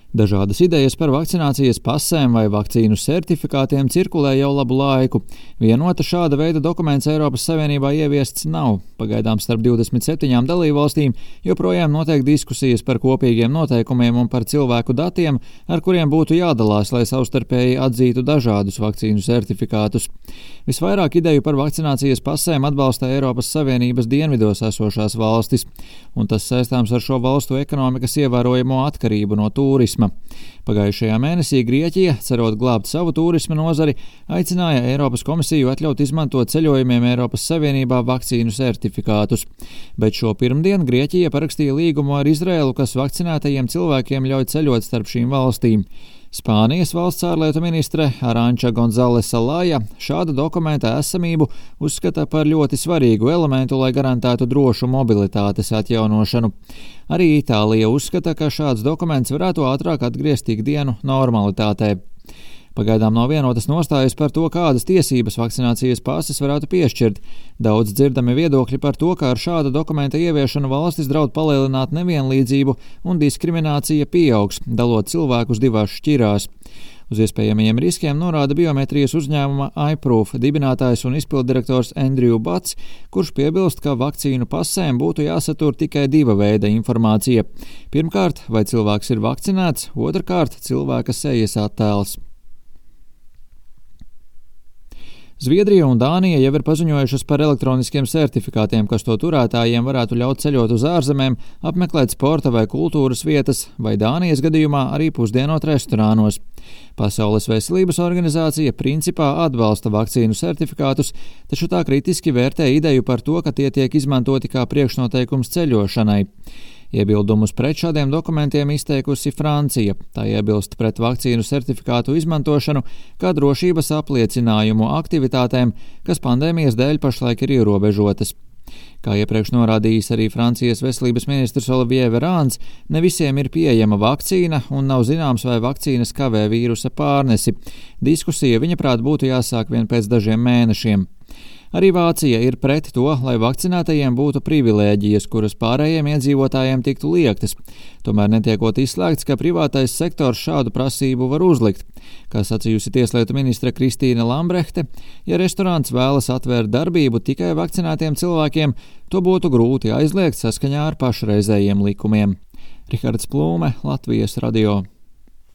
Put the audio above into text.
Dažādas idejas par vakcinācijas pasēm vai vakcīnu certifikātiem cirkulē jau labu laiku. Vienota šāda veida dokuments Eiropas Savienībā ieviests nav. Pagaidām starp 27 dalībvalstīm joprojām notiek diskusijas par kopīgiem noteikumiem un par cilvēku datiem, ar kuriem būtu jādalās, lai savstarpēji atzītu dažādus vakcīnu certifikātus. Visvairāk ideju par vakcinācijas pasēm atbalsta Eiropas Savienības dienvidos esošās valstis, un tas saistāms ar šo valstu ekonomikas ievērojamo atkarību no turisma. Pagājušajā mēnesī Grieķija, cerot glābt savu turisma nozari, aicināja Eiropas komisiju atļaut izmantot ceļojumiem Eiropas Savienībā vakcīnu certifikātus. Bet šo pirmdienu Grieķija parakstīja līgumu ar Izraēlu, kas vakcinētajiem cilvēkiem ļauj ceļot starp šīm valstīm. Spānijas valsts ārlietu ministre Aranča Gonzalesa Laja šāda dokumenta esamību uzskata par ļoti svarīgu elementu, lai garantētu drošu mobilitātes atjaunošanu. Arī Itālija uzskata, ka šāds dokuments varētu ātrāk atgriezt ikdienu normalitātē. Pagaidām nav vienotas nostājas par to, kādas tiesības vakcinācijas pases varētu piešķirt. Daudz dzirdami viedokļi par to, ka ar šāda dokumenta ieviešanu valstis draud palielināt nevienlīdzību un diskriminācija pieaugs, dalot cilvēkus divās šķirās. Uz iespējamajiem riskiem norāda biometrijas uzņēmuma iProof dibinātājs un izpilddirektors Andrew Bats, kurš piebilst, ka vakcīnu pasēm būtu jāsatur tikai diva veida informācija. Pirmkārt, vai cilvēks ir vakcinēts, otrkārt, cilvēka sejas attēls. Zviedrija un Dānija jau ir paziņojušas par elektroniskiem certifikātiem, kas to turētājiem varētu ļaut ceļot uz ārzemēm, apmeklēt sporta vai kultūras vietas, vai Dānijas gadījumā arī pusdienot restorānos. Pasaules veselības organizācija principā atbalsta vakcīnu certifikātus, taču tā kritiski vērtē ideju par to, ka tie tiek izmantoti kā priekšnoteikums ceļošanai. Iebildumus pret šādiem dokumentiem izteikusi Francija. Tā iebilst pret vakcīnu certifikātu izmantošanu kā drošības apliecinājumu aktivitātēm, kas pandēmijas dēļ pašlaik ir ierobežotas. Kā iepriekš norādījis arī Francijas veselības ministrs Olivier Verāns, ne visiem ir pieejama vakcīna un nav zināms, vai vakcīnas kavē vīrusa pārnesi. Diskusija, viņaprāt, būtu jāsāk vien pēc dažiem mēnešiem. Arī Vācija ir pret to, lai vakcinētajiem būtu privilēģijas, kuras pārējiem iedzīvotājiem tiktu liektas. Tomēr netiekot izslēgts, ka privātais sektors šādu prasību var uzlikt. Kā sacījusi tieslietu ministre Kristīne Lambrehte, ja restorāns vēlas atvērt darbību tikai vakcinētiem cilvēkiem, to būtu grūti aizliegt saskaņā ar pašreizējiem likumiem. Rihards Plūme, Latvijas radio.